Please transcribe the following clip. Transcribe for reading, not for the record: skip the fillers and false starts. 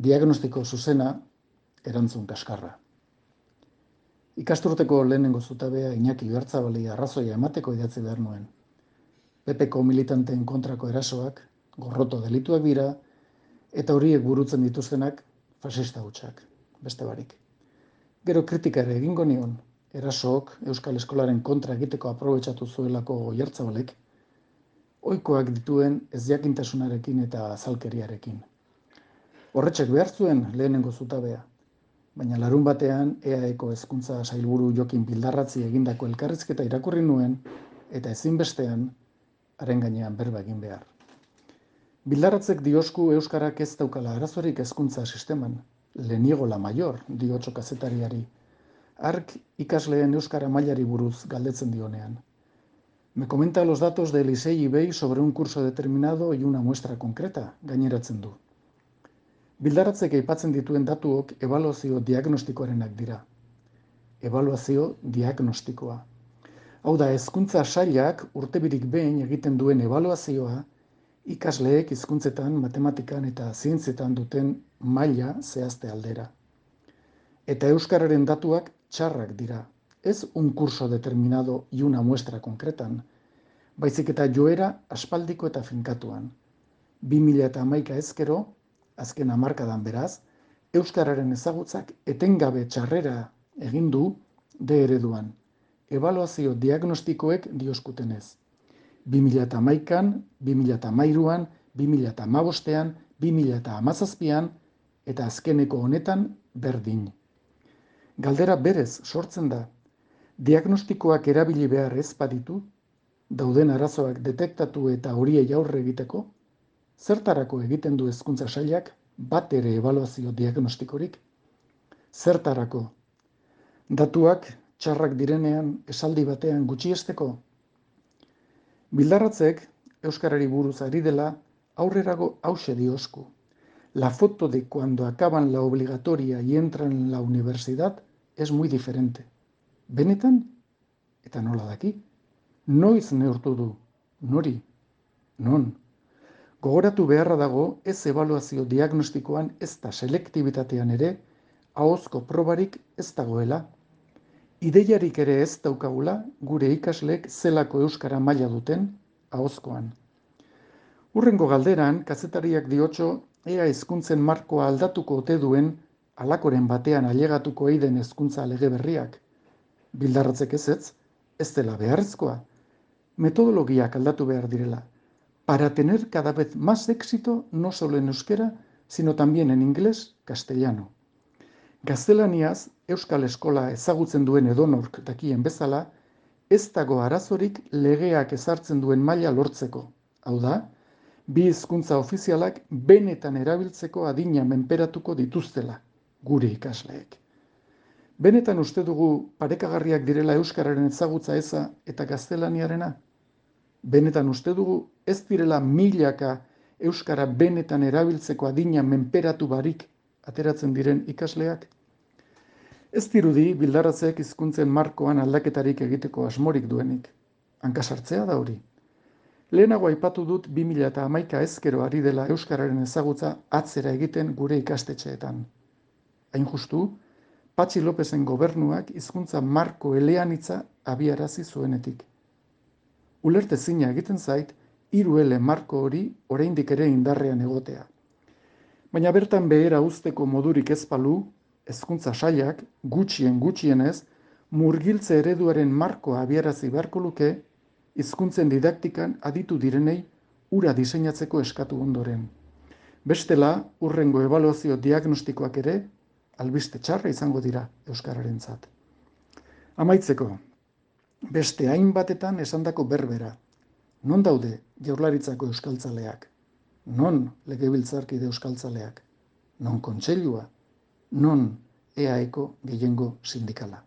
Diagnostiko zuzena, erantzun kaskarra. Ikasturteko lehenengo zutabea Iñaki Oiartzabali arrazoia emateko idatzi behar nuen. PPko militanteen kontrako erasoak, gorroto delituak dira, eta horiek burutzen dituztenak fasista hutsak, beste barik. Gero kritikare egingo nion, erasook Euskal Eskolaren kontra egiteko aprobetxatu zuelako Oiartzabalek, ohikoak dituen ezjakintasunarekin eta azalkeriarekin. Horretxek behar zuen lehenengo zutabea, baina larun batean EAEko hezkuntza sailburu Jokin Bildarratzi egindako elkarrizketa irakurri nuen eta ezinbestean haren gainean berba egin behar. Bildarratzek diosku euskarak ez daukala arazorik hezkuntza sisteman, le niego la mayor, diotxo kazetariari, hark ikasleen euskara mailari buruz galdetzen dionean. Me comenta los datos del ISEI IBEI sobre un curso determinado y una muestra concreta, gaineratzen du. Bildarratzek aipatzen dituen datuok ebaluazio diagnostikoarenak dira. Ebaluazio diagnostikoa. Hau da, hezkuntza sailak urtebirik behin egiten duen ebaluazioa ikasleek hizkuntzetan, matematikan eta zientzietan duten maila zehazte aldera. Eta euskararen datuak txarrak dira. Ez un curso determinado y una muestra concretan, baizik eta joera aspaldiko eta finkatuan. 2011 ezkero, azken hamarkadan beraz, euskararen ezagutzak etengabe txarrera egin du D ereduan. Ebaluazio diagnostikoek dioskutenez. 2011an, 2013an, 2015an, 2017an eta azkeneko honetan berdin. Galdera berez sortzen da, diagnostikoak erabili behar ez baditu, dauden arazoak detektatu eta horiei aurre egiteko, zertarako egiten du hezkuntza sailak bat ere ebaluazio diagnostikorik? Zertarako? Datuak txarrak direnean esaldi batean gutxiesteko? Bildarratzek euskarari buruz ari dela aurrerago hauxe diosku. La foto de cuando acaban la obligatoria y entran en la universidad es muy diferente. Benetan? Eta nola daki? Noiz neurtu du? Nori? Non? Gogoratu beharra dago ez ebaluazio diagnostikoan ez da selektibitatean ere ahozko probarik ez dagoela. Ideiarik ere ez daukagula gure ikasleek zelako euskara maila duten ahozkoan. Hurrengo galderan, kazetariak diotxo ea hezkuntzen markoa aldatuko ote duen halakoren batean ailegatuko eiden hezkuntza lege berriak. Bildarratzek ez dela beharrezkoa. Metodologiak aldatu behar direla. Para tener cada vez más éxito no solo en euskera, sino también en inglés, castellano. Gaztelaniaz, Euskal Eskola ezagutzen duen edonork dakien bezala, ez dago arazorik legeak ezartzen duen maila lortzeko. Hau da, bi hizkuntza ofizialak benetan erabiltzeko adina menperatuko dituztela, gure ikasleek. Benetan uste dugu parekagarriak direla euskararen ezagutza eza eta gaztelaniarena? Benetan uste dugu ez direla milaka euskara benetan erabiltzeko adina menperatu barik ateratzen diren ikasleak? Ez dirudi Bildarratzek hizkuntzen markoan aldaketarik egiteko asmorik duenik. Hankasartzea da hori. Lehenago aipatu dut 2011 ezkero ari dela euskararen ezagutza atzera egiten gure ikastetxeetan. Hain justu, Patxi Lopezen gobernuak hizkuntza marko eleanitza abiarazi zuenetik. Ulertezina egiten zait, 3L marko hori oraindik ere indarrean egotea. Baina bertan behera uzteko modurik ez balu, hezkuntza sailak gutxienez murgiltze ereduaren markoa abiarazi beharko luke hizkuntzen didaktikan aditu direnei hura diseinatzeko eskatu ondoren. Bestela, hurrengo ebaluazio diagnostikoak ere albiste txarra izango dira euskararentzat. Amaitzeko, beste hainbatetan esandako berbera. Non daude Jaurlaritzako euskaltzaleak? Non legebiltzarkide euskaltzaleak? Non kontseilua? Non EAEko gehiengo sindikala?